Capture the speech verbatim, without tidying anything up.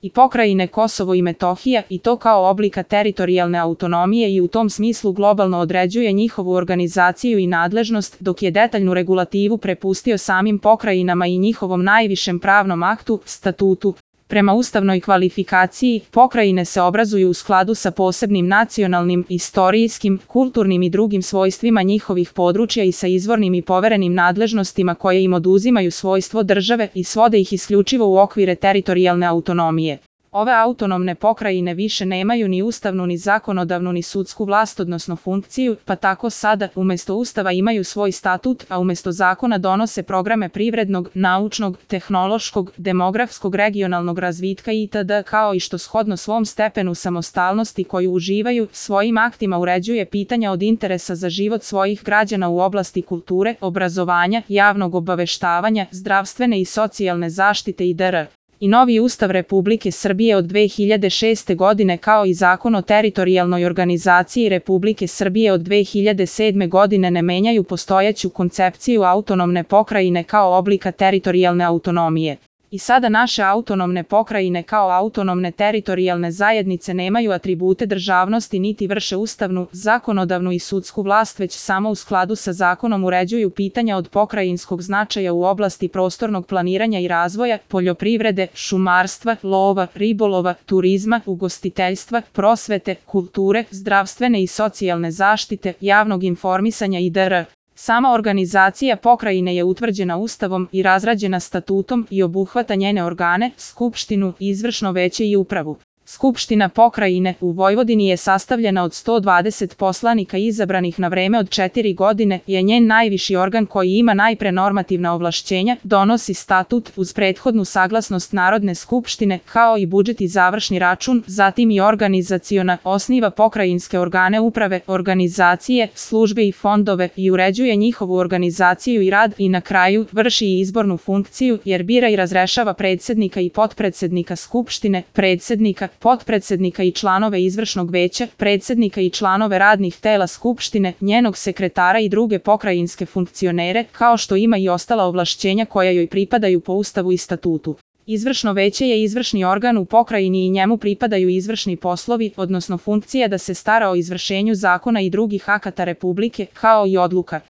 i pokrajine Kosovo i Metohija, i to kao oblika teritorijalne autonomije i u tom smislu globalno određuje njihovu organizaciju i nadležnost, dok je detaljnu regulativu prepustio samim pokrajinama i njihovom najvišem pravnom aktu, statutu. Prema ustavnoj kvalifikaciji, pokrajine se obrazuju u skladu sa posebnim nacionalnim, istorijskim, kulturnim i drugim svojstvima njihovih područja i sa izvornim i poverenim nadležnostima koje im oduzimaju svojstvo države i svode ih isključivo u okvire teritorijalne autonomije. Ove autonomne pokrajine više nemaju ni ustavnu ni zakonodavnu ni sudsku vlast odnosno funkciju, pa tako sada, umjesto ustava imaju svoj statut, a umjesto zakona donose programe privrednog, naučnog, tehnološkog, demografskog, regionalnog razvitka itd. Kao i što shodno svom stepenu samostalnosti koju uživaju, svojim aktima uređuje pitanja od interesa za život svojih građana u oblasti kulture, obrazovanja, javnog obaveštavanja, zdravstvene i socijalne zaštite itd. I novi Ustav Republike Srbije od dve hiljade šeste. godine kao i Zakon o teritorijalnoj organizaciji Republike Srbije od dve hiljade sedme. godine ne menjaju postojeću koncepciju autonomne pokrajine kao oblika teritorijalne autonomije. I sada naše autonomne pokrajine kao autonomne teritorijalne zajednice nemaju atribute državnosti niti vrše ustavnu, zakonodavnu i sudsku vlast, već samo u skladu sa zakonom uređuju pitanja od pokrajinskog značaja u oblasti prostornog planiranja i razvoja, poljoprivrede, šumarstva, lova, ribolova, turizma, ugostiteljstva, prosvete, kulture, zdravstvene i socijalne zaštite, javnog informisanja itd. Sama organizacija pokrajine je utvrđena Ustavom i razrađena statutom i obuhvata njene organe, skupštinu, izvršno veće i upravu. Skupština pokrajine u Vojvodini je sastavljena od sto dvadeset poslanika izabranih na vreme od četiri godine, je njen najviši organ koji ima najpre normativna ovlašćenja, donosi statut uz prethodnu saglasnost Narodne skupštine, kao i budžet i završni račun, zatim i organizaciona, osniva pokrajinske organe uprave, organizacije, službe i fondove i uređuje njihovu organizaciju i rad i na kraju vrši i izbornu funkciju jer bira i razrešava predsjednika i potpredsednika skupštine, predsjednika, potpredsednika i članove izvršnog veća, predsjednika i članove radnih tela skupštine, njenog sekretara i druge pokrajinske funkcionere, kao što ima i ostala ovlašćenja koja joj pripadaju po Ustavu i statutu. Izvršno veće je izvršni organ u pokrajini i njemu pripadaju izvršni poslovi, odnosno funkcija da se stara o izvršenju zakona i drugih akata Republike, kao i odluka.